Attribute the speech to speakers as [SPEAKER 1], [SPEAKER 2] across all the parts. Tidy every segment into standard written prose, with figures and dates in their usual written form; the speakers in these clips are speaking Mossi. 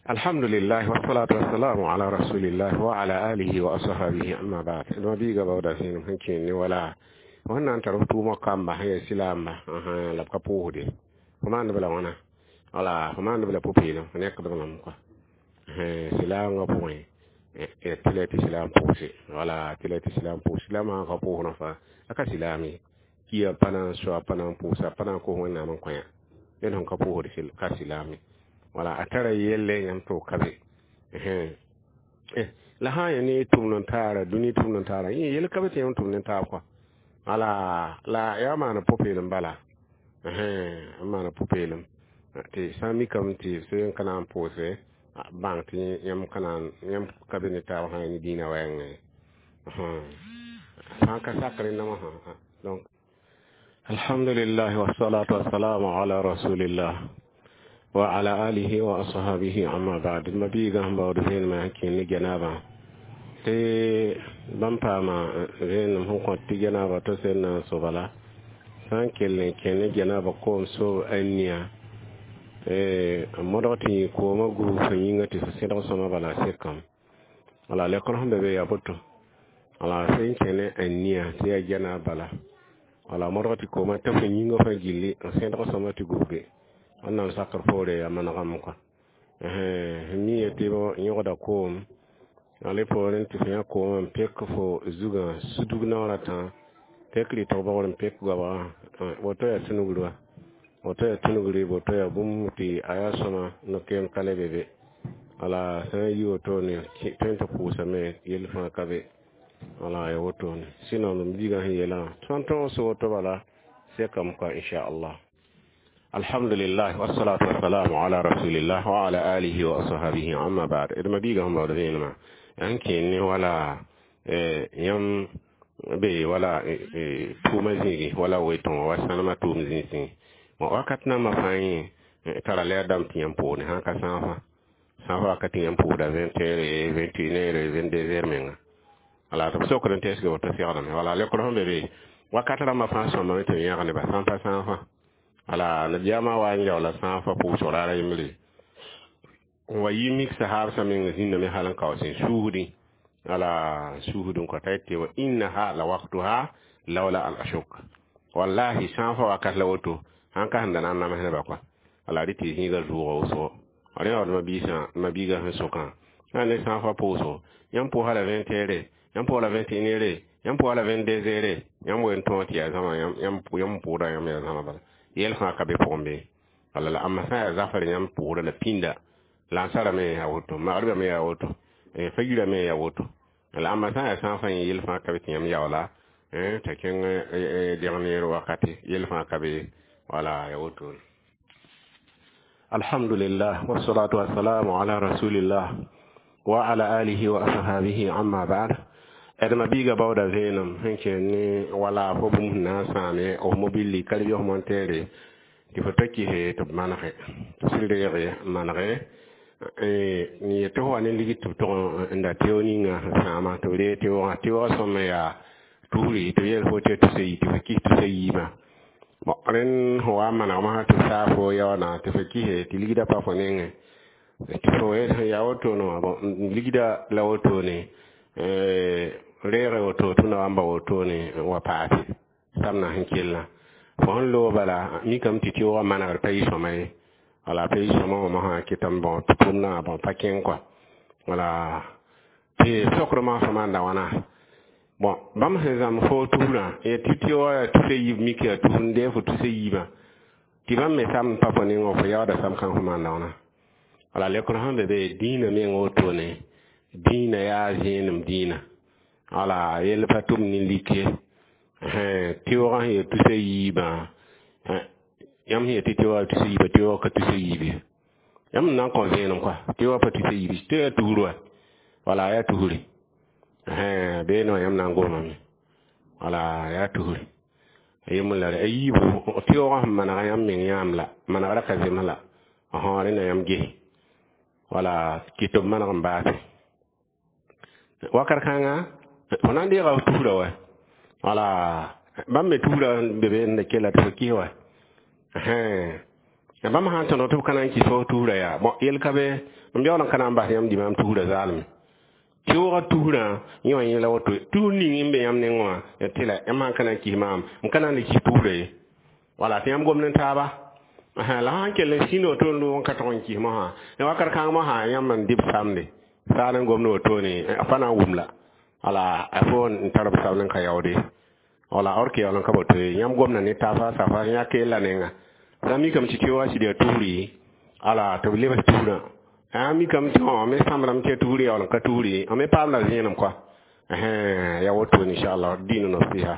[SPEAKER 1] Alhamdulillah, wassalatu wassalamu ala rasulillah wa ala alihi wa ashabihi, amma ba'd. Ma biiga bawda sẽnem sẽn kẽen ne wala fo sẽn na n tar f tʋʋmã kamba sẽn yaa silaamba la b ka pʋʋsde fo maand b la wãna wala fo maand b la pʋ-peelem fo nekd lame kɔa silaamgã pʋgẽ tɩ la tɩ silaam pʋʋse wala tɩ la tɩ silaam pʋʋs silaam sã n ka pʋʋsdã fãa a ka silaam ye kia pa na n soa pa na n pʋʋsa pa na n kos Wẽnnaam n kõ yã ned sẽn ka pʋʋsd ka silaam ye wala a tara yelle yãmb tɩ b ka be la sã n yaa ne tʋmd n taara dũni tʋmd n taara yẽ yel ka be tɩ yãmb tʋmd ne taab kɔa wala la yaa maana pʋ-peelem bala n maana pʋ-peelem tɩ sã n mikame tɩ b sẽn ka na n pʋʋse bãng tɩ yãmb ka na yãmb ka be ne taab sã ne dĩinã wɛɛngẽ sã n ka sak rẽndã wã. Donc alhamdulillah, wassalatu wassalamu ala rasulillah wa ala alihi wa ashabihi, amma ba'd. Ma biiga sẽn baood vẽenemã sẽn kẽ ne janaba tɩ bãmb paama vẽenem sẽn kõt tɩ janaba to sẽn na n so bala sã n kell n kẽ ne janaba koom soob a nia n modg tɩ yẽ koomã gubg fo yĩnga tɩ fo sẽdg sõma bala sekame wala lekr sẽn be be yaa boto wala sẽn kẽ ne a nia tɩ yaa janab bala wala modg tɩ koomã ta fo yĩngã fãa gilli n sẽdg sõma tɩ gubge wẽnnaam sakr poore yaa manegame kɔa mi tɩ yõgda koom ale poorẽ tɩ fo yã koomã n pek fo zugã sudg naoor a tã pek rɩtg bogr n pek goabgã woto yaa tũnugr wa woto yaa tũnugre woto yaa bũmb tɩ a yaa sõma no-keem ka le be be wala sã n yi wotone tõe tɩ pʋʋsame yell fãa ka be wala ya wotone sinon m biigã sẽn yeelã tõnd tõog so woto bala sekame kɔa inchallah. Alhamdulillah, wassalatu wassalamu ala rasulillah wa ala alihi wa ashabihi, amma ba'd. D ma biiga sẽn baood vẽenemã n kẽen ne wala yãmb be wala tʋʋmã zĩigi wala wetõ wa sãnemã tʋʋm zĩisẽ wakat nambã fãa yẽ tara lɛɛr dãmb tɩ yãmb pʋʋsne sã n ka sãafã sãafã wakat tɩ yãmb pʋʋsda 20 heures, 21 heures, 22 heures menga wala tɩ b sokd n teesge woto segdame wala lekr sẽn be be wakat rãmbã fãa sõmame tɩ b yãg neba sã n pa sãafã wala nabiyaamã wa n yaoola sãafã pʋʋsg raara yembre n wa yi mik sahaab sã meng zĩndame hal n kao sẽn suusdẽ wala suusd n kɔta tɩ wa innaha la waktuha lawla an ashuk wallahi sãafã wakat la woto sãn ka sẽn da na n nams neba kɔa wala rɩ tɩ zĩiga zʋʋga wʋsgo rẽ wa mabiisã mabiigã sẽn sokã sã ne sãafã pʋʋsgo yãmb pʋʋsa la 20 heures, yãmb pʋʋsa la 21 heures, yãmb pʋʋsa la 22 heures, yãmb wen tõog tɩ yaa zãma yãmb pʋʋda yãmb yaa zãma bala yɛl fãa ka be pʋgẽ be wala la amma sã n yaa zafr yãmb pʋʋsda la pĩnda lansara me yaa woto magribã me yaa woto fajira me yaa woto la amma sã n yaa sãafã yẽ yel fãa ka be tɩ yãmb yaoola t'a kẽng dẽg neer wakate yel fãa ka be wala ya woto. Alhamdulillah, wassalatu wassalamu ala rasulillah wa ala alihi wa ashabihi, amma ba'd. D ma biiga baooda vẽenem sẽn kẽen ne wala fo bũmb sẽn na n sãame f mobilli ka lebg monteere tɩ fo ta kɩse tɩ b manege tɩ sɩd reege manege n yet tɩ fo wa ne ligd tɩ b tʋg n da teo ninga sẽn sãama tɩ b reeg teoogã teoogã sõma yaa tusri tɩ b yeel fo tɩ tusa yi tɩ fo kɩs tusa yiibã bon rẽnd sẽn wa n manegmã tɩ b saa fo yaoona tɩ fo kɩse tɩ ligdã pa fo nengẽ tɩ fo sẽn yaa wotone wã bon ligdã la wotone reege woto tɩ na wa n ba wotone wa paase samna sẽn kellã fo sẽn loog bala mikame tɩ teoogã manegr pa yɩ sõma ye wala pa yɩ sõma wã mosã kɩtame bõ tɩ tʋmdã bõ pa kẽng kɔa wala tɩ sokr maasã maanda wãna bon bãmb sẽn zãmb fo tusrã tɩ teoogã yaa tusa yiib mik yaa tus n dee fo tusa yiibã tɩ bãmb me samd pa fo nengẽ fo yaooda sam kãng fo maanda wãna wala lekr sẽn be be dĩinã meng wotone dĩinã yaa zẽenem dĩinã wala yell pa tʋm ne lik ye teoogã sẽn yaa tusa yiibã yãmb sẽn yaa tɩ teoogã tusa yiibã teoogã ka tusa yiib ye yãmb n na n kõ vẽenem kɔa teoogã pa tusa yiib tɩ yaa tusr wa wala yaa tusri beene wã yãmb na n gomame wala yaa tusri yembr la a yiibu teoogã sẽn manega yãmb meng yãam la manegrã ka zems la rẽnda yãmb ges wala kɩ tɩ b maneg n baase wakat kãnga fo na n deega f tusrã wa wala bãmb me tusrã n be be n da kella tɩ fo kɩs wa. Bãmb sã n tõdg tɩ b ka na n kɩs fo tusrã yaa bõn yel ka be m yaool n ka na n bas yãmb dimaam tusrã zaalme tɩʋʋga tusrã yẽ wã yẽla woto tus ning n be yãmb nengẽ wã tɩ la yãmb sã n ka na n kis maam m ka na n le kis tusrã ye wala tɩ yãmb gomd n taaba la sã n kell n sĩnd woto n loog n ka tog n kis mosã wakat kãng mosã yãmb n dɩ b samde saal n gomd wotone fa na n wʋm la wala a fo n tar b samd n ka yaoode wala or ke yaool n ka boto ye yãmb gomda ne taaba safa yã keella nenga sã mikame tɩ tɩ sɩd yaa tusri ala tɩ b lebs tusrã a mikame tɩ me sãmbrame tɩ yaa tusri yaool n ka tusri me paamda zẽenem kɔa ya wotone inchallah dĩinã nasiha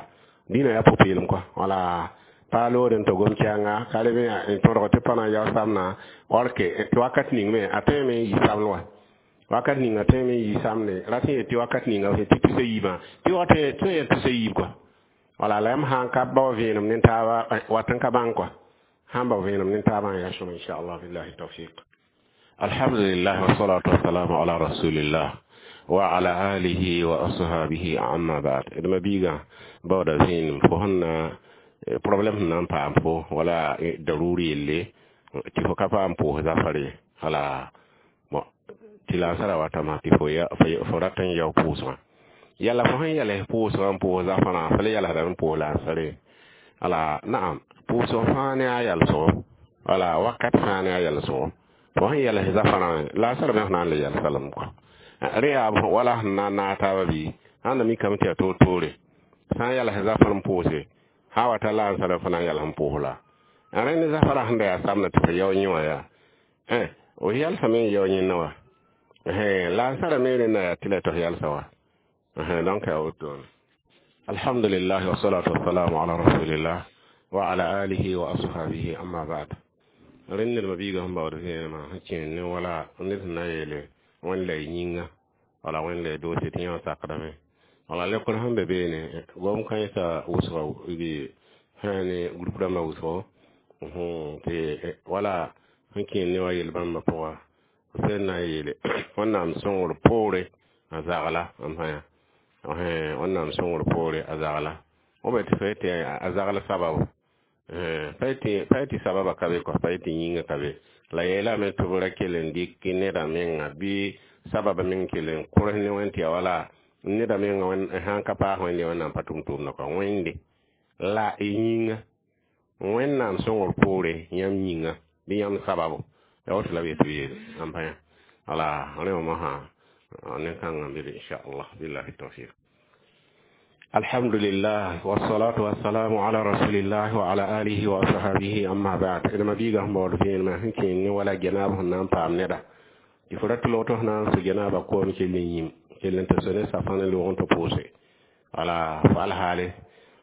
[SPEAKER 1] dĩinã yaa pʋ-peelem kɔa wala pa lood n tɩ gom kɛɛnga ka leb n tõdg tɩ pa na n yao samna or ke tɩ wakat ning me a tõeme n yi samd wa wakat ninga tõeme n yi samde rat sẽn yet tɩ wakat ninga tɩ tusa yiibã tɩ wa tõe yaa tusa yiib kɔa wala la yãmb sã n ka bao vẽenem ne taaba wat n ka bãng kɔa sãn bao vẽenem ne taabã n yaa sõma inchallah billahi tawfiq. Alhamdulillah wassalatu wassalamu ala rasulillah wa ala alihi wa ashabihi amma ba'd. D ma biigã baooda zẽenem fo sẽn na problème sẽn na n paam fo wala daruri yelle tɩ fo ka paam pʋʋs zafar ye wala bon tɩ la n sara watama tɩ fo rat n yao pʋʋsgã yala fo sẽn yɛls pʋʋsgã n pʋʋs zafarã fo le yɛlsdame n pʋʋs la n sare wala naam pʋʋsg fãa ne a yɛlsgo wala wakat fãa ne a yɛlsgo fo sẽn yɛls zafarã la a sarame f na n le yɛlsa lame kɔa rẽ yaa wala sẽn na n naag taaba bɩ sãn da mikame tɩ yaa toor-toore sã n yɛls zafar n pʋʋse sã wa ta la n sara fo na n yɛls n pʋʋs la rẽnd zafara sẽn da yaa samda tɩ fo yao yẽ wã yaa o yɛlsame n yao yẽnna wa la n sara me rẽnda yaa tɩ la tɩ f yɛlsa wa donc yaa wotone. Alhamdulillah wassalatu wassalamu ala rasulillah wa ala alihi wa ashabihi amma ba'd. Rẽnd ned ma biigã sẽn baood vẽenemã sẽn kẽer ne wala ned sẽn na n yeele wẽnd la y yĩnga wala wẽnd la y doose tɩ yẽ wã sakdame wala lekr sẽn be beene gom kãensã wʋsga bɩ sã ne group rãmbã wʋsgo tɩ wala sẽn kẽer ne wa yel bãmbã pʋga sẽn na n yeele Wẽnnaam sõngr poore a zagla n fãa Wẽnnaam sõngr poore a zagla b tɩ fa tɩ a zagl sababu pa tɩ sababa ka be kɔ pa tɩ yĩnga ka be la yeelame tɩ b ra kell n dɩk neda menga bɩ sababa meng kell n kʋrs ne wẽnd tɩ ya wala neda menga sãn ka paas wẽnde Wẽnnaam pa tʋm tʋʋmdã kɔ wẽnde la y yĩnga Wẽnnaam sõngr poore yãmb yĩnga bɩ yãmb sababu ya woto la b yetɩ b yeele n pa wala rẽ wã mosã nen-kãngã bɩ inchallah billahi tawfiq. Alhamdulillah wassalatu wassalamu ala rasulillah wa ala alihi wa ashabihi amma ba'd. D ma biigã sẽn baood vẽenemã sẽn kẽer ne wala genaab sẽn na n paam neda tɩ fo rat tɩ log tɩ f na n sũ genaabã koom kell n yĩm kell n tɩ so ne safã ne loog n tɩ pʋʋse wala fo alhaale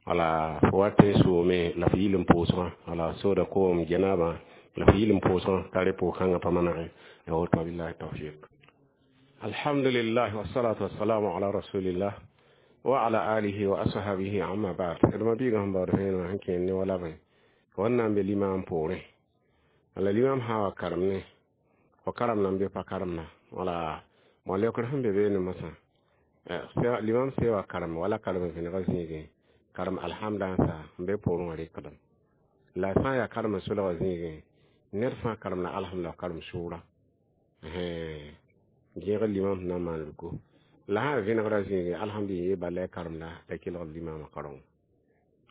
[SPEAKER 1] wala fo wat n soome la f yil n pʋʋsgã wala sooda koom genaabã la f yil n pʋʋsgã t'a re pʋʋs-kãngã pa manege ya woto billahi tawfiq. Alhamdulillah wassalatu wassalamu ala rasulillah wa ala alihi wa ashabihi amma ba'd. D ma biigã sẽn baood vẽenemã sẽn kẽer ne wala bõe wẽnnaam be limaam poorẽ wala limaam sã wa karem ne fo karemna n be pa karemna wala bõn leokr sẽn be beene mosã limam se wa karem wala karem vẽnega zĩigẽ karem alhamda n sa n be poorẽ wã rɩkdem la sã n yaa karem n solga zĩigẽ ned fãa karem la alhamda karem sʋʋra gẽeg limam sẽn na n maan ruko la sã n vẽnegrã zĩigẽ alhamdulillah bala ya karem la t'a kelgd limamã kaoreng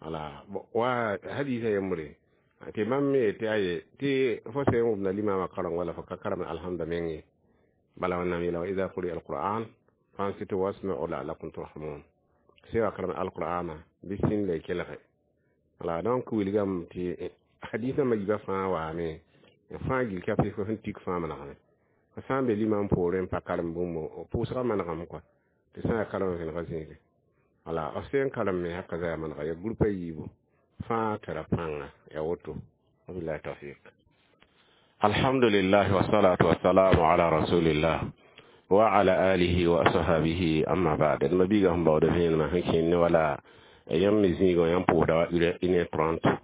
[SPEAKER 1] wala wa hadisa yembre tɩ bãmb me yetɩ aye tɩ fo sẽn wʋmda limamã kaoreng wala fo ka karem alhamda meng ye bala Wẽnnaam yeela wa ida quri'a alquran fansitu wasma'u la'allakum turhamun sẽn wa karem alqur'ana bɩ sĩnd la y kelge wala donc wilgame tɩ hadisã ma yiibã fãa waame fãa gil ka fo sẽn tik fãa manegame fo sã n be limam poorẽ n pa karem bũmb pʋʋsgã manegame kɔa tɩ sã n yaa karem vẽnega zĩige wala f sẽn karem me haka za yaa manega ya group a yiibu fãa tara pãnga ya woto wabillahi tawfiq. Alhamdulillah wassalatu wassalamu ala rasulillah wa ala alihi wa ashabihi amma ba'd. D ma biigã sẽn baood vẽenemã sẽn kẽer ne wala yãmb me zĩigã yãmb pʋʋsda wa 1h30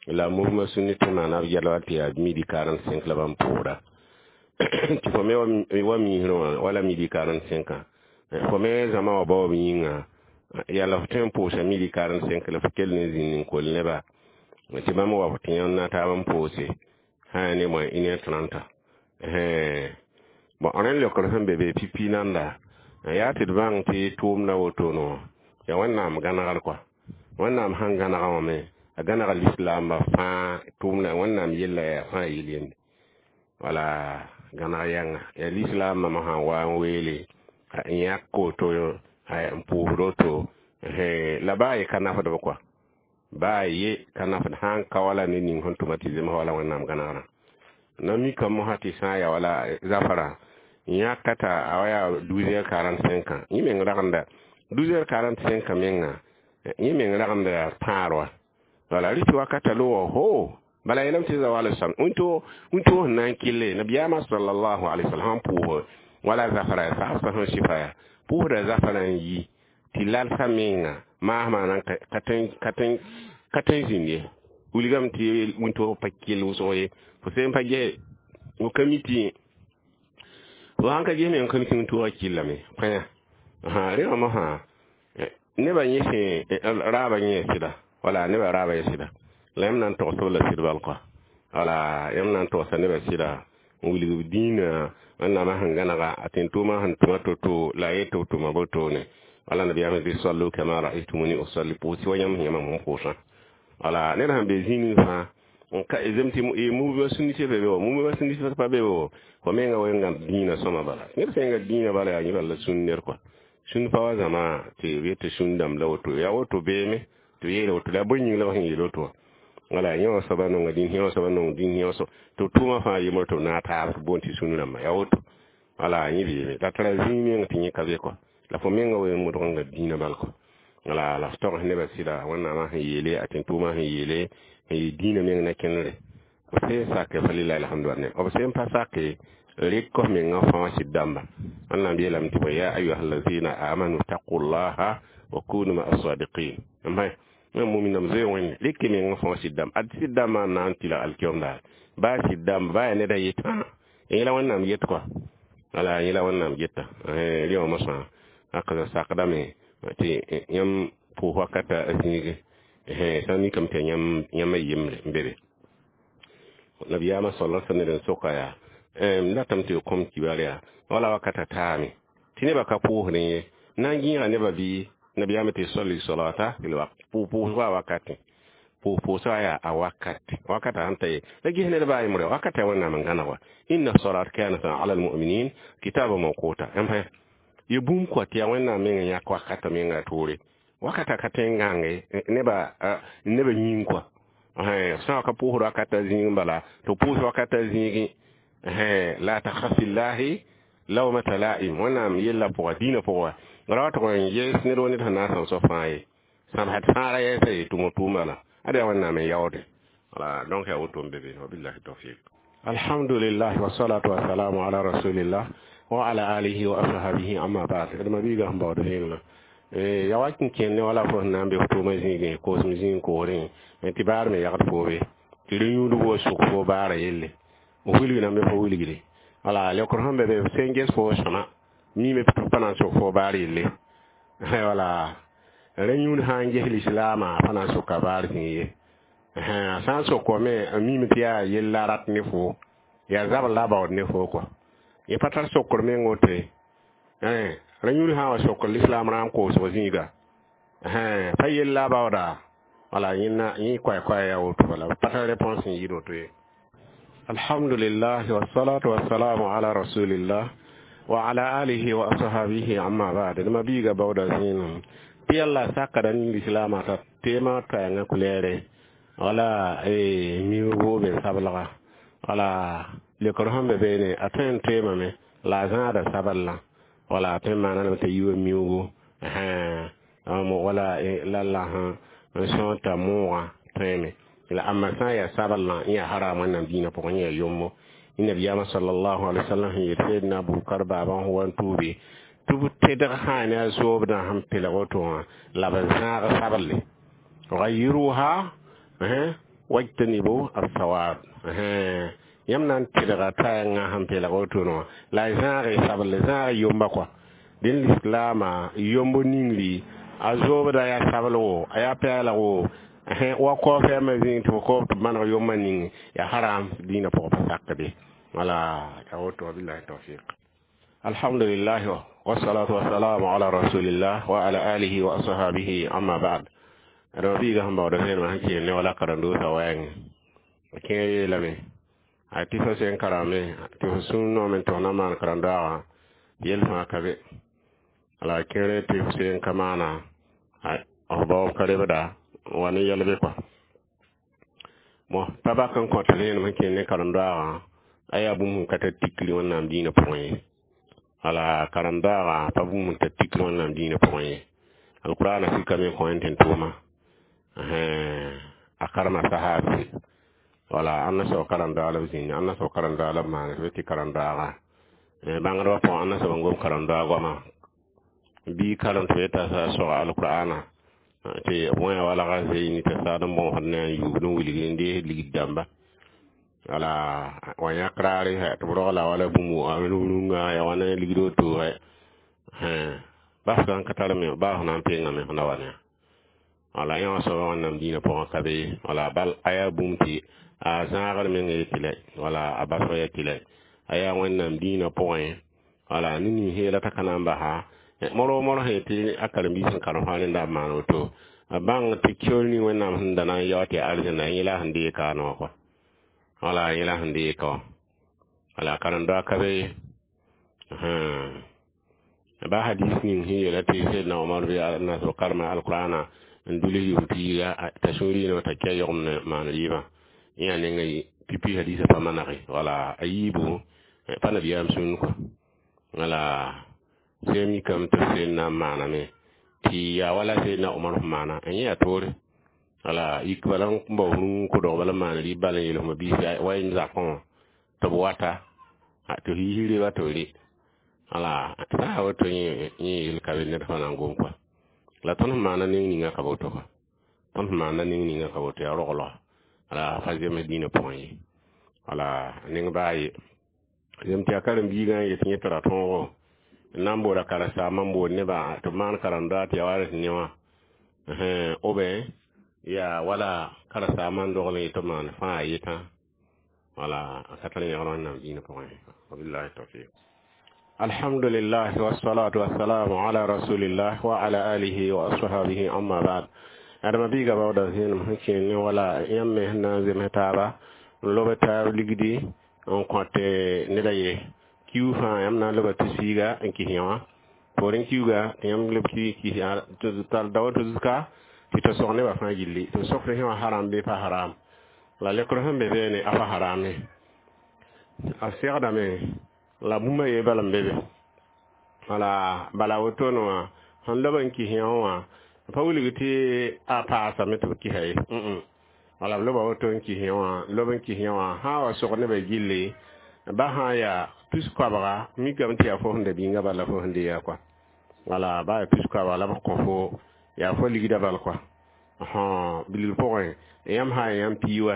[SPEAKER 1] la mouvement sunnite maana b yɛl wa tɩ yaa midi 45 la bãmb pʋʋsda tɩ fo me wa miisrẽ wã wala midi 45 fo me zãma wã baoob yĩnga yaa la f tõe n pʋʋsa midi 45 la f kell n zĩnd n kol neba tɩ bãmb wa f tɩ yãmb na taab n pʋʋse Sã ne moins 1h30. Bon, rẽnd leokr sẽn be be pipi nanda yaa tɩ d bãng tɩ tʋʋmda wotone wã yaa Wẽnnaam gãnegr kɔa. Wẽnnaam sãn gãnega wã me a gãnega lislaambã fãa tʋʋmda Wẽnnaam yella yaa fãa yel yende. Wala gãneg yãnga yaa lislaambã sã n wa n weele n yãk woto n pʋʋsd woto la baa ye ka nafdb kɔa, baa ye ka nafd sã n ka wala ned ning sẽn tʋma tɩ zems wala Wẽnnaam gãnegrã. Na mikame mosã tɩ sã n ya wala zafrã yãka t'a a wa yaa 12h45 yẽ meng ragenda 12h45 menga yẽ meng ragenda yaa pãar wa. Wala rɩtɩ wakata logo ho bala yeelame tɩ zawal sãm wĩntoog sẽn na n kɩlle nabiyaamã sallallahu alaihi wasallam sãn pʋʋs wala zafra sagsã sẽn sɩfa yaa pʋʋsda zafrã n yi tɩ lalsã menga maasmã nan ka tõe n zĩnd ye wilgame tɩ wĩntoog pa kell wʋsg ye fo sẽn pa ges fo ka mi tɩ fo sãn ka ges meng ka mi tɩ wĩntoogã kɩllame pãyã rẽ wã mosã nebã yẽ sẽn raabã yẽ sɩda wala nebã raabã yẽ sɩda la yãmb na n togsb la sɩd bal kɔa. Wala yãmb na n togsa nebã sɩda n wilg b dĩinã Wẽnnaamã sẽn gãnega a tẽn-tʋʋmã sẽn tʋma to-to la a yet tɩ b tʋma botone. Wala nabiyaamã tɩ sallu kama raaytumuni usalli pʋʋs wa yãmb sẽn yã mam sẽn pʋʋsã. Wala ned sãn be zĩig ning fãa n ka zem tɩ mubã sũnnisã be be wa mubã sũnnisã pa be wa fo menga wenga dĩinã sõma bala ned sẽn ga dĩinã bala yaa yẽ bala la sũn ner kɔa sũn pa wa zãma tɩ b yet tɩ sũn dãmb la woto yaa woto beeme tɩ yeela woto la bõe yĩng la b sẽn yeel woto wã. Wala yẽ wã soaba nonga dĩn yẽ wã soaba nong dĩn yẽ wã so tɩ tʋʋmã fãa yembr tɩ b naag taab tɩ boond tɩ sũn rãmba yaa woto. Wala yẽ beeme la tara zĩig meng tɩ yẽ ka be kɔa la fo menga wen modg n ga dĩinã bal kɔa. Wala la f togs nebã sɩda Wẽnnaamã sẽn yeele a tẽn-tʋʋmã sẽn yeele n yɩ dĩinã meng na kẽnere b sẽn sake fa lillahi alhamdu ne b sẽn pa sake rɩk f mengã fãa sɩd dãmba. Wẽnnaam yeelame tɩ ya ayuha allazina amanu taqullaha wa kunu ma asadiqin n muminam zoe wẽnde rɩk mengã fãa sɩd dãmb ad sɩd dãmbã n na n tɩlg alkiom daar baa sɩd dãmb baa yaa neda yetã yẽ la Wẽnnaam yet kɔa. Wala yẽ la Wẽnnaam yeta rẽ wã mosã haka sakdame tɩ yãmb pʋʋs wakata a zĩige sã n mikame tɩ yãmb a yembre n be be. Nabiyaamã sala sallam ned n soka yaa m datame tɩ kõm kibar yaa wala wakata taame tɩ nebã ka pʋʋsdẽ ye na n gĩiga nebã bɩ nabiyaamã tɩ salli salata fil waqt pʋʋsga wakatẽ pʋʋsga yaa a wakat wakata sãn ta ye la ges ned baa yembre wakata ya Wẽnnaam n gãneg wa inna salat kanat ala almuminin kitaba mawquta yãmb ye bũmb kɔa tɩ yaa Wẽnnaam meng n yãk wakata menga toore wakata ka tõe n gãnge nebã yĩng kɔa sã ka pʋʋsd wakata zĩig bala tɩ pʋʋs wakata zĩigẽ la takhaf fillahi lawmata la'im Wẽnnaam yella pʋga dĩinã pʋgã ra wa tʋg n yes ned wa ned sẽn na n sãm soab fãa ye sãmsd fãa ra yɛɛsa ye tʋm tʋʋm bala ad yaa Wẽnnaam n yaoode. Wala donc yaa woto n be be wabillahi tawfiq. Alhamdulillah wassalatu wassalamu ala rasulillah wa ala alihi wa ashabihi amma ba'd. D ma biiga sẽn baood vẽenemã ya wa n kẽnd ne wala fo sẽn na n be f tʋʋmã zĩigẽ koosem zĩig koorẽ tɩ baar me yagd fo be tɩ rẽ yũudg wa sʋk fo baara yelle f wilg na me fo wilgde. Wala leokr sẽn be be f sẽn ges fo sõma mime tɩ pa na n sʋk fo baar yelle. Wala rẽ yũud sã n ges lislaamã pa na n sʋka baar zĩig ye sã n sʋk me n mime tɩ yaa yella rat ne fo yaa zabr la a baood ne fo kɔa yẽ pa tar sokr meng woto ye rẽ yũud sã n wa sokr lislaam rãam koosg zĩiga pa yella a baooda wala yẽna yẽ koɛ-koɛ yaa woto bala pa tar réponse n yɩɩd woto ye. Alhamdulillah wassalatu wassalamu ala rasulillah wa ala alihi wa ashabihi amma ba'd. D ma biiga baooda zĩig tɩ yalla sakda ning lislaamã t'a teemã toɛɛngã kulɛɛre wala miugo be sablga wala lekr sẽn be beene a tõe n toeemame la a zãada sabellã wala a tõe n maana tɩ yiwa miugo wala lalla sẽn sõor t'a moogã tõeme la amma sã n yaa sabellã n yaa haram Wẽnnaam dĩinã pʋgẽ yã yombo. Nabiyaamã sallallahu alaihi wasallam sẽn yet Seydna Abubakar baabã sẽn wa n tuube tɩ b tedg sã ne a zoobdã sẽn pelg woto wã la b zãag sabelle gayiruha wajtanibu assawad yãmb na n tedga taɛngã sẽn pelg woto wã la a zãag sabelle zãag yomba kɔa dẽn lislaamã yomb ningri a zoobda yaa sabl wo a yaa pɛɛlg wo Wa kaoofɛ me zĩig tɩ fo kaoop tɩ b maneg yomã ning yaa haram dĩinã pʋgã pa sakde. Wala ya woto, wabillahi tawfiq. Alhamdulillah, wassalatu wassalamu ala rasulillah wa ala alihi wa ashabihi, amma ba'd. Rãmb biiga sẽn baood vẽenemã sẽn kɩɩm ne wala karen-doosã wɛɛngẽ a kẽer yeelame a tɩ fo sẽn karame tɩ fo sũur noome tɩ fo na n maan karen-doaagã yel fãa ka be. La a kẽere tɩ fo sẽn ka maana f baoob ka rebda n wa ne yɛlbe kɔa. Mo pa bak n kõt vẽenem sẽn kẽnd ne karen-doaagã a yaa bũmb sẽn ka tar tikri Wẽnnaam dĩinã pʋgẽ ye. Wala karen-doaagã pa bũmb sẽn tar tikri Wẽnnaam dĩinã pʋgẽ ye. Alqur'ana sikame n kõ yẽ tɩ n tʋʋma a karema sahaabse. Wala ãnna soab karen-doaag la b zĩnd, ãnna soab karen-doaag la b maan tɩ tɩ karen-doaaga bãngdbã pʋgẽ, ãnna soab n gom karen-doaag goama bii karem tɩ b yeta soga alqur'ana tɩ b wẽ walga zeeni tɩ saad n bõosd ne n yuubd n wilg n dees ligd dãmba. Wala wa yãk raare tɩ b rogla wala bũmb rũngã ya wa ne ligd woto bas n ka tar me baa f na n pengame f na wa ne. Wala yã wã soaba Wẽnnaam dĩinã pʋgã ka be. Wala bal a yaa bũmb tɩ a zãagr meng ye tɩ lɛ, wala a basg ya tɩ lɛ a yaa Wẽnnaam dĩinã pʋgẽ. Wala ne nin heela t'a ka na n basa moro moro sẽn tɩ a karen-biis sẽn karem fãa rẽnda b maan woto a bãng tɩ kior ning Wẽnnaam sẽn da na n yao tɩ yaa arzẽnda yẽ la sẽn deeg kaane wã kɔa. Wala yẽ la sẽn deeg ka wã. Wala karen-doa ka be ye. Ba hadis ning sẽn yeela tɩ Sedna Omar bɩ na sab karema alqur'ana n dʋls yʋʋm piiga t'a sũur yĩnã t'a kia yogem ne maan rɩɩbã yẽ yaa nenga pipi hadisã pa manege. Wala a yiibu pa nabiyaam sũur kɔa. Wala sẽn mikame tɩ b seen na n maaname tɩ yaa wala Sedna Omar sẽn maana n yẽ yaa toore. Wala yik bala n bao rũng kʋdg bala n maan rɩɩb bala n yel fma biis wa y zakẽ wã tɩ b wata tɩ f yiis reba tɩ b rɩ. Wala sã n woto yẽ yel ka be ned fãa na n gom kɔa. La tõnd sẽn maana neng ninga ka woto kɔa, tõnd sẽn maana neng ninga ka woto yaa roglga. Wala fa zems dĩinã pʋgẽ ye. Wala neng baa ye zem tɩ yaa karen-biigã n yet yẽ tɩ ra tõogo n na n booda karen-saambã n bood nebã tɩ b maan karen-doa tɩ yaa wa rẽ ne wã oubien yaa wala karen-saambã n dogl n yet b maan fãa yetã. Wala a ka tar yẽgr Wẽnnaam dĩinã pʋgẽ. Wabillahi tawfiq. Alhamdulillah, wassalatu wassalamu ala rasulillah wa ala alihi wa ashabihi, amma ba'd. Adama biiga baooda zẽenem sẽn kẽer ne wala yãmb me sẽn na n zems taaba n lob taab ligdi n kõt ned a ye kiu fãa yãmb na n loba tɩ-siiga n kis yã wã poorẽ kiuga tɩ yãmb leb kis tar daoor tɩ zuka tɩ tɩ sog nebã fãa gilli tɩ b sokd sẽ wã haram bɩ pa haram. La lekr sẽn be beene a pa harame a segdame la bũmba ye bala n be be. Wala bala wotone wã sẽn lob n kis yã wã pa wilg tɩ a paasame tɩ b kisa ye. Wala b loba woto n kis yã wã lob n kis yã wã sã n wa sog nebã gilli ba sã n yaa tus koabga mikame tɩ yaa fo sẽn da bĩnga bala fo sẽn deega kɔa. Wala ba yaa tus koabga la b kõ fo yaa fo ligda bal kɔa bilg pʋgẽ yãmb sã n yãmb pii wa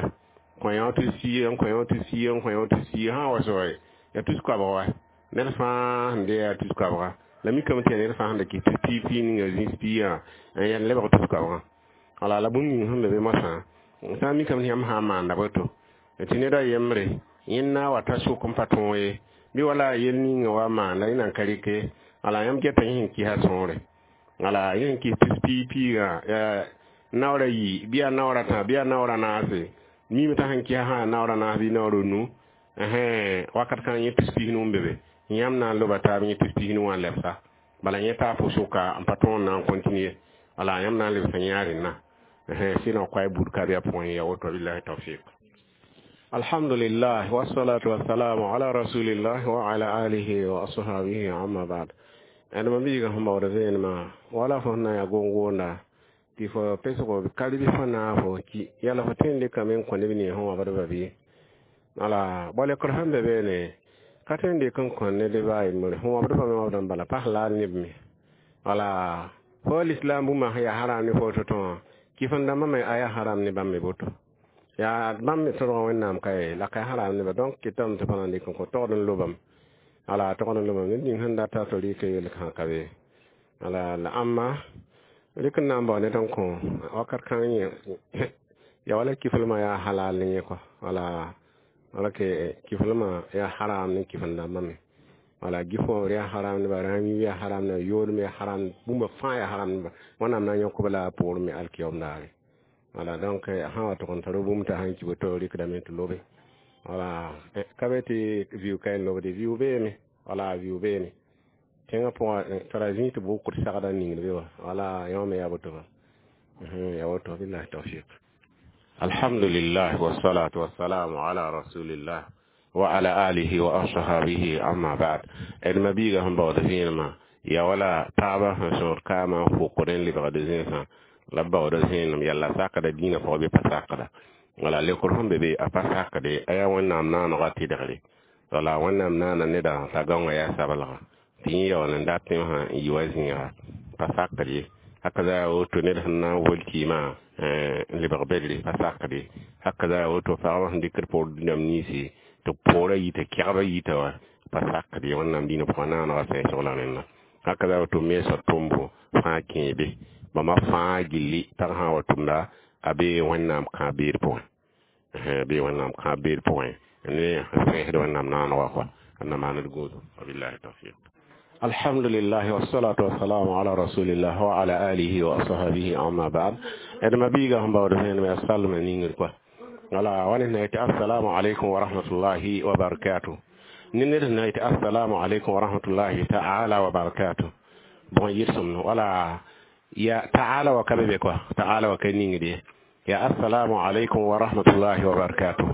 [SPEAKER 1] kõ yã tɩ sie n kõ yã tɩ sie n kõ yã tɩ sie sã n wa soge yaa tus koabg wa ned fãa sẽn dee yaa tus koabga la mikame tɩ yaa ned fãa sẽn da kɩs tɩ pii pii ninga zĩis piigã n yaa lebg tus koabgã. Wala la bũmb ning sẽn be be moasã sã n mikame tɩ yãmb sã n maanda boto tɩ ned a yembre yẽnd na n wa ta sʋk n pa tõog ye bɩ wala yel ninga wa maanda yẽ nan ka rɩke. Wala yãmb geta yẽ sẽn kɩsa sõore. Wala yẽ sẽn kɩs tus pii piigã naoor a yi bɩ yaa naoor a tã bɩ yaa naoor a naase mime t'a sẽn kɩsa sã yaa naoor a naas bɩ naoor a nu wakat kãng yẽ tus pisnu n be be yãmb na n loba taab yẽ tus pisnu wã n lebsa bala yẽ taa fo sʋka n pa tõog n na n continue. Wala yãmb na n lebsa yã rẽnna sɩdã koa bud ka bɩa pʋgẽ ya woto. Billahi tawfiq. Alhamdulillah, wassalatu wassalamu ala rasulillah wa ala alihi wa ashabihi, amma ba'd. Adama biiga sẽn baood vẽenemã wala fo sẽn na n yaa gom-goonda tɩ fo pesgo ka rɩ fo naag fo ki yala fo tõe n dɩkame n kõ neb nins sẽn wabdba bɩ. Wala bao-lekr sẽn be beene ka tõe n dɩk n kõ ned baa yembre sẽn wabdbã me wabdã bala pas laad neb me. Wala fo lislam bũmba sẽn yaa haram ne fo to-tõ wã kɩf n dãmbã me a yaa haram ne bãmb me boto yaa bãmb me tõdgã Wẽnnaam ka ye la ka haram neba. Donc kɩtame tɩ pa na n dɩk n kõ togd n lobame. Wala togd n lobame ned ning sẽn data tɩ rɩk yel kã ka be. Wala la ãmba Rɩk n na n bao ned n kõ wakat kãng yẽ ya wala kiflmã yaa halal ne yẽ kɔa. Wala wala ke kiflmã yaa haram ne kifl dãmbã me. Wala gifõ yaa haram ne ba, rãam yaa haram ne, yoodem yaa haram, bũmba fãa yaa haram ne ba. Wẽnnaam na n yõk-b la a poorẽ me alkiyom daare. Wala donc sã wa tʋg n tar bũmb t'a sãn ki woto rɩkdame tɩ lobe. Wala ka be tɩ viʋ ka n lobde, viʋ beeme. Wala viʋ beene. Tẽngã pʋgã tara zĩig tɩ bʋkd sagda n ningd be wã. Wala yõ me yaa woto ba. Yaa woto, billahi tawfiq. Alhamdulillah wassalatu wassalamu ala rasulillah wa ala alihi wa ashabihi, amma ba'd. D ma-biigã sẽn baood vẽenemã ya wala taabã sẽn sõor kaamã n fokd n lebgd zẽnsã la b baooda zẽenem yalla sakda dĩinã pʋgã bɩ pa sakda. Wala lekr sẽn be be a pa sakde, a yaa Wẽnnaam naanegã tɩdgre. Wala Wẽnnaam naana neda t'a gãongã yaa sablga tɩ yẽ yaool n dat tẽmsã n yi wa zĩiga, pa sakd ye. Haka za woto ned sẽn na n wol kɩɩmã n lebg bedre, pa sakd ye. Haka za woto pagba sẽn dɩkd poor dũniyam ninsi tɩ poorã yita, kɛgba yita wã, pa sakd ye. Wẽnnaam dĩinã pʋgã naanegã sɛɛsg la rẽnda. Haka za woto meesã tʋmbo fãa kẽe be, bãmba fãa gilli pag sã n wa tʋmda a bee Wẽnnaam kãab-beed pʋgẽ, bee Wẽnnaam kãab-beed pʋgẽ ne sẽesd Wẽnnaam naanegã kɔa n na maand gũudum. Wabillahi tawfiq. Alhamdulillah wassalatu wassalamu ala rasulillah wa ala alihi wa ashabihi, amma ba'd. D ma-biigã sẽn baood vẽenem yaa salmã ningr kɔa. Wala wa ned na yetɩ assalamu alaikum wa rahmatullahi wa barakatuh, ne ned sẽn na yetɩ assalamu alaikum wa rahmatullahi ta'ala wa barakatuh, bõe yɩlsem? Wala ya ta'ala wa ka be be kɔa, ta'ala wa ka ningd ye. Ya assalamu alaikum wa rahmatullahi wa barakatuh.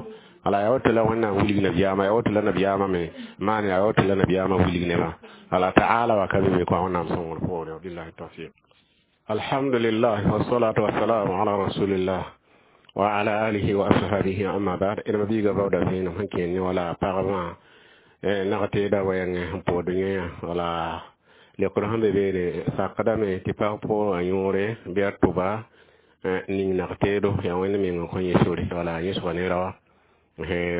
[SPEAKER 1] Wala ya woto la Wẽnnaam wilg nabiyaamã, ya woto la nabiyaamã me maan, ya woto la nabiyaamã wilg nebã. Wala ta'ala wa ka be be kɔa, Wẽnnaam sõngr poore. Billahi tawfiq. Alhamdulillah wassalatu wassalamu ala rasulillah wa ala alihi wa ashabihi, amma ba'd. D ma-biigã baooda vẽenem sẽn kẽen ne wala pagbã nag-teedã wɛɛngẽ sẽn pʋgd yẽ. Wala lekr sẽn be beene sakdame tɩ pag pʋʋgã yõore bɩ a tʋba ning nag-teedo yaa Wẽnd meng n kõ yẽ sore. Wala yẽsga ne raoã,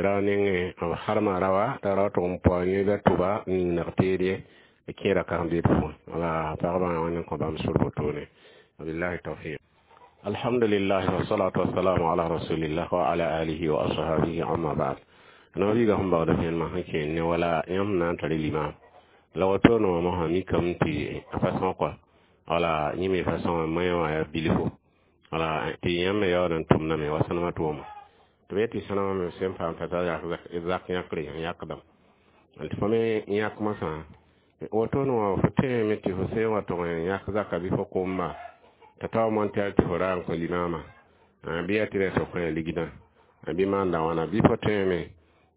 [SPEAKER 1] rao nengẽ b harma raoa t'a rao tʋg n paoog yẽ bɩ a tʋba ning nag-teed ye kẽeda karen-beed pʋgẽ. Wala pagba Wẽnd n kõ bãmb sor wotone. Wabillahi tawfiq. Alhamdulillah wassalatu wassalamu ala rasulillah wa ala alihi wa ashabihi, amma ba'd. No-biigã sẽn baood vẽenemã sẽn kẽen ne wala yãmb na n tar limam la wotone wã mosã mikame tɩ a façon kɔa. Wala yẽ me façon moẽ wã yaa bilfo. Wala tɩ yãmb me yaool n tʋmdame wa sõnema tʋʋma tɩ b yetɩ sõnema me sẽn paam t'a zak yãkre n yãkdame tɩ fo me yãk mosã wotone wã fo tẽeme tɩ fo sẽn wa tʋg n yãk zaka bɩ fo komba t'a tao montɛr tɩ fo ra n kõ limama bɩ yaa tɩ rɛs fo kõ ligdã bɩ maanda wãna, bɩ fo tẽeme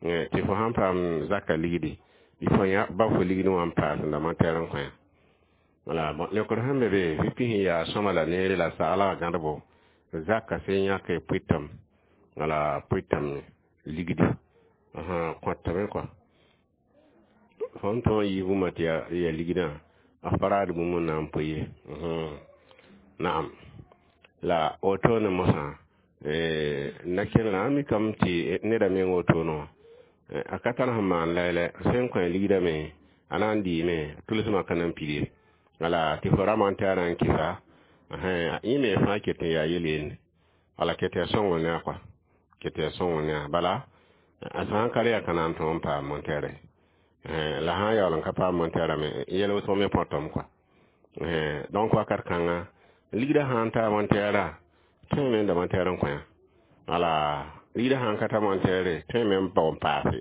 [SPEAKER 1] tɩ fo sãn paam zaka ligdi bɩ fo ba fo ligd wã n paas n da montɛr n kõ. Wala bon, lekr sẽn be be bɩ pis n yaa sõma la neere la saglga gãdbo zaka sẽn yãke pʋɩtame. Wala pʋɩtame ligdi kõtame kɔa fõn tõog n yɩ bũmba tɩ yaa ligdã a faraad bũmb n na n pʋ ye. Naam, la wotone mosã na kẽnerã a mikame tɩ neda meng wotone wã a ka tar sẽn maan lɛɛlɛ sẽn kõ ligdame a na n dɩɩme tʋlsmã ka na n pid ye. Wala tɩ fo ra montɛɛrã n kɩsa yẽ me fãa ket n yaa yel yende. Wala ket yaa sõngr ne a kɔa, ket yaa sõngr ne a bala a sã n ka re yaa ka na n tõog n paam montɛɛrɛ la sã n yaool n ka paam montɛɛrã me yɛl wʋsg me põtame kɔa. Donc wakat kãnga ligdã sã n taa montɛɛrã tõe me n da montɛɛr n kõ. Wala ligdã sã n ka ta montɛɛre tõe me n bao n paase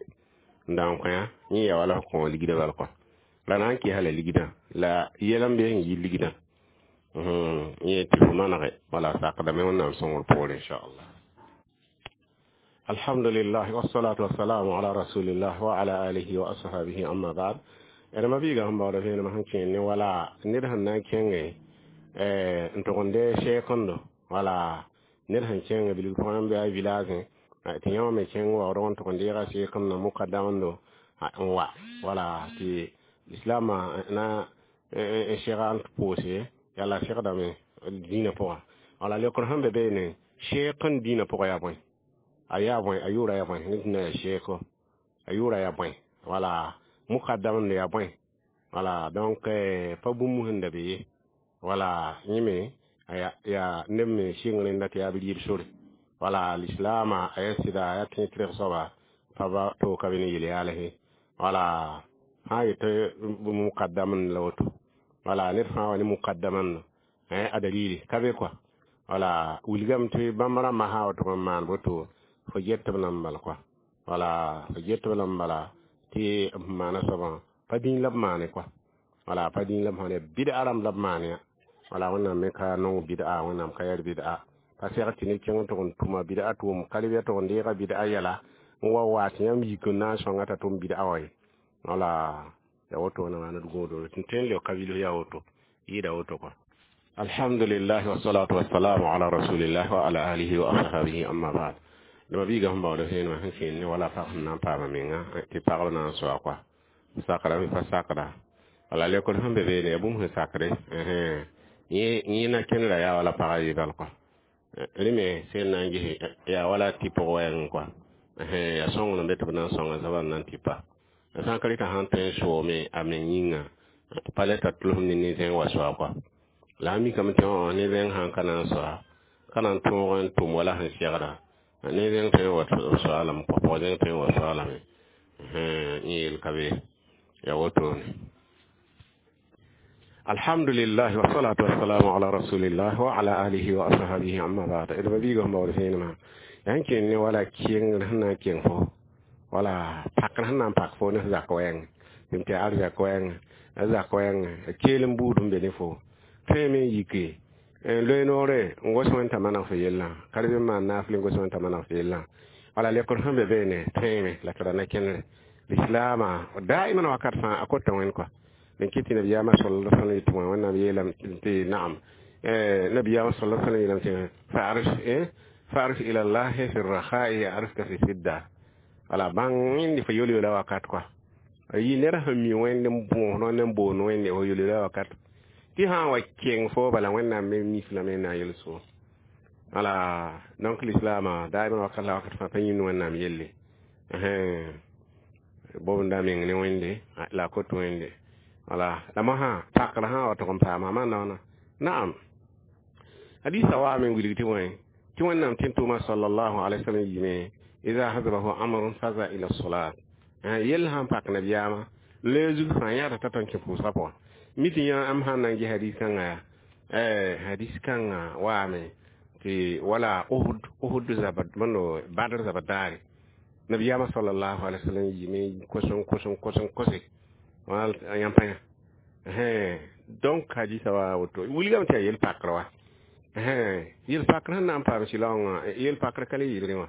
[SPEAKER 1] n da n kõ. Yẽ yaa wala f kõ ligdã bal kɔa la na n kɩsa la ligdã la yɛl n be n yi ligdã yẽ tɩ fo manege. Wala sakdame Wẽnnaam sõngr poore, inchallah. Alhamdulillah wassalatu wassalamu ala rasulillah wa ala alihi wa ashabihi, amma ba'd. D ma-biigã sẽn baooda vẽenemã sẽn kẽen ne wala ned sẽn na n kẽnge n tʋg n dee sɛɛkẽndo. Wala ned sẽn kẽng bilg pʋgẽ n be a village tɩ yã wã me kẽng waoodg n tʋg n deega sɛɛkẽndã mukadamdo n wa. Wala tɩ lislaamã na n sɛga n pʋʋse yala segdame dĩinã pʋgã. Wala lekr sẽn be beene sɛɛk n dĩinã pʋgã yaa bõe? A yaa bõe? A yʋʋra yaa bõe? Ned na yaa sɛɛko a yʋʋra yaa bõe? Wala mukadamd yaa bõe? Wala donc pa bũmb sẽn da be ye. Wala yẽ me Yaa neb me sɩng rẽnda tɩ yaa b rɩɩb sore. Wala lislaamã a yaa sɩda a yaa tẽed soaba pa ba to ka be ne yel-yaalse. Wala sã n yetɩ mukaddam la woto, wala ned fãa wa ne mukaddaman a dalili ka be kɔa. Wala wilgame tɩ bãmb rãmbã sã n wa tʋg n maan boto, fo get b lame bala kɔa. Wala fo get b lame bala tɩ b maana soabã pa dĩin la b maane kɔa. Wala pa dĩin la b maane, bɩda rãmb la b maan yã. Wala Wẽnnaam me ka nong bɩda, Wẽnnaam ka yɛr bɩda. Pa seg tɩ ne kẽng tʋg n tʋma bɩda tʋʋm ka lebya tʋg n deega bɩda yɛla n wa wa tɩ yãmb yik n na n sõnga t'a tʋm bɩda wã ye. Wala ya woto na maana gõodo tɩ tõe n leoka bilf yaa woto yɩɩda woto kɔa. Alhamdulillah, wassalatu wassalamu ala rasulillah wa ala alihi wa ashabihi, amma ba'd. Dama biiga sẽn baood vẽenemã sẽn kẽend ne wala pag sẽn na n paama menga tɩ pagb na n soa kɔa, sakra pa sakda. Wala lekr sẽn be beene yaa bũmb sẽn sakre yẽ na kẽndra yaa wala pagã yɩ bal kɔa. Rẽ me sẽn na n ges yaa wala tɩ pʋg wɛɛngẽ kɔa, yaa sõngr n be tɩ b na n sõnga soabã n na n tɩpa. Sã n ka rɩtã sãn tõe n soome a meng yĩnga, pa le t'a tʋlsem ne ne-zẽng wa soa kɔa. La a mikame tɩ ne zẽng sãn ka na n soa, ka na n tõog n tʋm wala sẽn segda, ne zẽng tõe n wa soa lame kɔa, pʋg zẽng tõe n wa soa lame. Yẽ yel ka be yaa wotone. Alhamdulillah, wassalatu wassalamu ala rasulillah wa ala alihi wa ashabihi, amma ba'd. D biiga sẽn baood vẽenemã yaa n kẽnd ne wala kengr sẽn na n kẽng fo, wala pakr sẽn na n pak fo ne f zak wɛɛng tɩ tɩ arzak wɛɛng, a zak wɛɛng a keel n buud n be ne fo tõe me n yike n loe noore n gos wẽn t'a maneg fo yellã, ka reb n maan naafl n gos wẽn t'a maneg fo yellã. Wala lekr sẽn be beene tõeeme la tɩ ra na kẽnere lislaamã daiman wakat fãa a kota wẽnd kɔa. N kɩt tɩ nabiyaamã sallallahu alaihi wasallam yetɩ Wẽnnaam yeelame tɩ naam, nabiyaamã sallallahu alaihi wasallam yeelame tɩ fa'arif ila llahi fi rakhai ya'rifka fi sidda. Wala bãng wẽnde fo yol-yola wakat kɔa. Yɩ ned sẽn mi Wẽnd n bõos ne n boond Wẽnde fo yol-yola wakat tɩ sã n wa keng fo bala, Wẽnnaam me mif lame n na n yel-sõor. Wala donc lislaamã daiman wakat la wakat fãa pa yĩnd Wẽnnaam yelle bobnda meng ne Wẽnde la a kot Wẽnde. Wala la mosã pakr sã wa tʋg n paama maana wãna. Naam, hadisa waame n wilg tɩ wẽ tɩ Wẽnnaam tẽn tʋʋma sallallahu alaihi wasallam yiime ida hazabahu amrun faza ila salat. Yell sãn pak nabiyaamã loe zug fãa yãata t'a tõn kẽ pʋʋsgã pʋgã mi tɩ yã am sãn na n ges hadis kãngã yaa hadis kãngã waame tɩ wala Uhud zabat mando Badr zabat daare, nabiyaamã sallallahu alaihi wasallam yiime kos n kos n kos n kose wala yãmb pa yã. Donc hadisa wa woto wilgame tɩ yaa yel pakr wa, yel pakr sẽn na n paam sɩlaoongã, yel pakr ka le yɩlgẽ wã.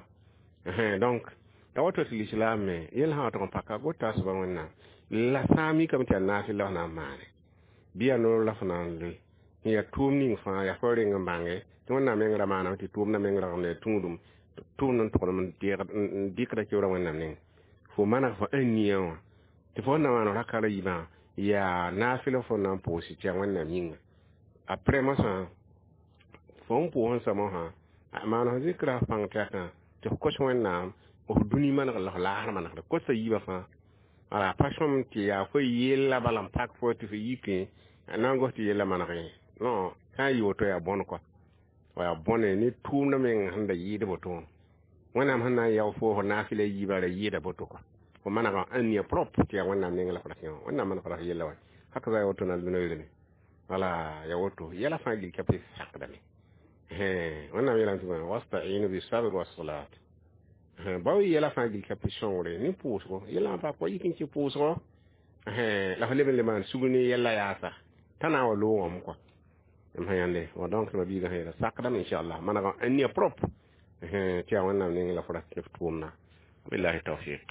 [SPEAKER 1] Donc ya woto tɩ lislaam me yel sã wa tʋg n paka gota a soaba Wẽnnaam la sã n mikame tɩ yaa naafɩl la f na n maane bɩ yaa noor la f na n loe n yaa tʋʋm ning fãa yaa fo reng n bãnge tɩ Wẽnnaam meng ra maaname tɩ tʋʋmdã meng ragmda yaa tũudum tʋʋmd n togdem n dɩkda keoorã Wẽnnaam neng fo maneg fo ãnnia wã tɩ fo na maan raka ra yiibã yaa naafɩl fo na n pʋʋs tɩ yaa Wẽnnaam yĩnga. Après mosã fo n pʋʋs n sa mosã maan f zikra f pãng tɛkã tɩ f kos Wẽnnaam f dũni manegr la f laasr manegre kosa yiibã fãa. Wala pa sõm tɩ yaa fo yella bala n pak fo tɩ fo yikẽ na n gos tɩ yella maneg. Non, sã n yɩ woto yaa bõn kɔa, yaa bõne ne tʋʋmdã meng sẽn da yɩɩd boto wã. Wẽnnaam sẽn na n yao fo fo naafɩla yiibã ra yɩɩda boto kɔa, fo manegã ãnnia propre tɩ yaa Wẽnnaam neng la f ra kẽ wã, Wẽnnaam maneg f yella wa haka za woto na noeerame. Wala ya woto yɛla fãa gil ka pɩ sakdame. Wẽnnaam yeelame tɩ wastainu bisabr wassalat. Bao yɛla fãa gil ka pɩ sõngre ne pʋʋsgo yɛla pa kɔ yik n kẽ pʋʋsgo la f leb n le maan sugr ne yɛlla yaasa t'a na n wa loogame kɔa m sã yãnde wa. Donc ma biigã sã yeela sakdame inchallah manegã ãnnia propre tɩ yaa Wẽnnaam neng la f ra f tʋʋmda. Billahi tawfiq.